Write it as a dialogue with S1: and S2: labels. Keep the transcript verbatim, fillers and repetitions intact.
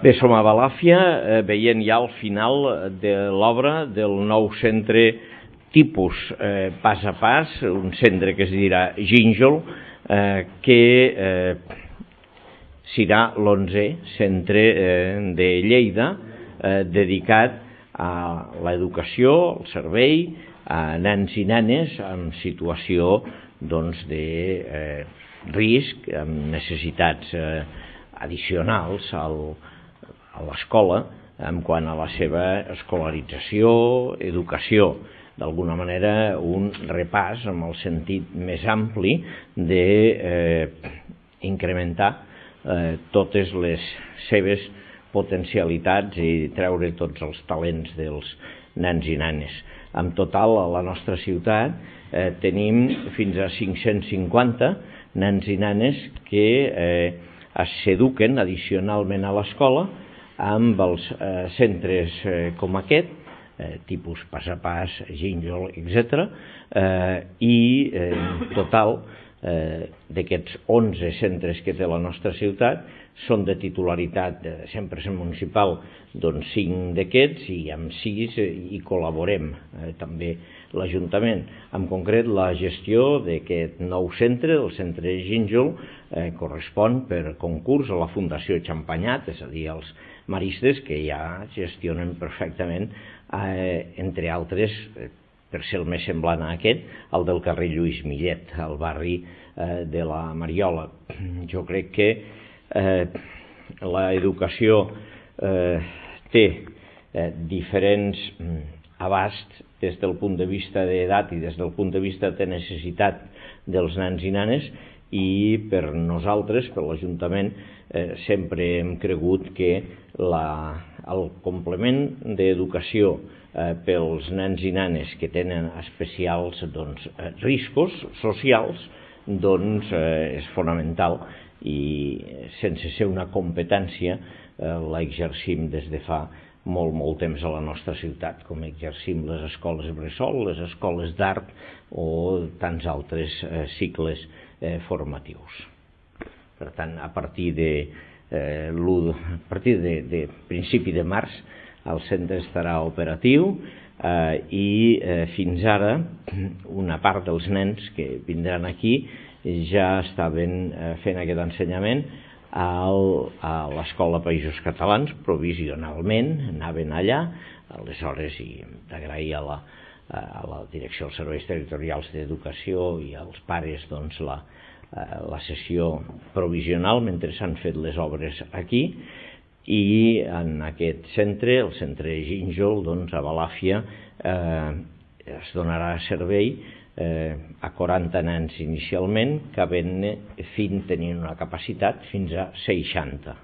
S1: Bé, som a Balàfia, eh, veient ja el final de l'obra del nou centre tipus eh, pas a pas, un centre que es dirà Gínjol, eh, que eh, serà l'onzè centre eh, de Lleida eh, dedicat a l'educació, al servei, a nens i nenes en situació doncs, de eh, risc, amb necessitats eh, addicionals al a l'escola en quant a la seva escolarització, educació, d'alguna manera un repàs amb el sentit més ampli d'incrementar eh, eh, totes les seves potencialitats i treure tots els talents dels nens i nenes. En total, a la nostra ciutat eh, tenim fins a cinc-cents cinquanta nens i nenes que eh, s'eduquen addicionalment a l'escola amb els eh, centres eh, com aquest, eh, tipus pas a pas, Gínjol, etcètera. Eh, I eh, en total eh, d'aquests onze centres que té la nostra ciutat són de titularitat de cent per cent municipal, doncs cinc d'aquests, i amb sis eh, hi col·laborem eh, també l'Ajuntament. En concret, la gestió d'aquest nou centre, el centre de Gínjol, eh, correspon per concurs a la Fundació Champagnat, és a dir, als maristes que ja gestionen perfectament, eh, entre altres, eh, per ser el més semblant a aquest, el del carrer Lluís Millet, al barri eh, de la Mariola. Jo crec que eh, l'educació eh, té eh, diferents abasts des del punt de vista d'edat i des del punt de vista de necessitat dels nens i nenes, i per nosaltres, per l'Ajuntament, eh, sempre hem cregut que la, el complement d'educació eh, pels nens i nenes que tenen especials doncs, eh, riscos socials doncs, eh, és fonamental, i sense ser una competència eh, l'exercim des de fa molt, molt temps a la nostra ciutat, com exercim les escoles bressol, les escoles d'art o tants altres eh, cicles eh, formatius. Per tant, a partir de, eh, a partir de, de principi de març el centre estarà operatiu eh, i eh, fins ara una part dels nens que vindran aquí ja estaven eh, fent aquest ensenyament al, a l'Escola Països Catalans, provisionalment, anaven allà, aleshores, i d'agrair a la, a la Direcció dels Serveis Territorials d'Educació i als pares doncs, la, la sessió provisional mentre s'han fet les obres aquí, i en aquest centre, el centre Gínjol, doncs, a Balàfia, eh, es donarà servei Eh, a quaranta nens inicialment, que havent-ne fins tenint una capacitat fins a seixanta.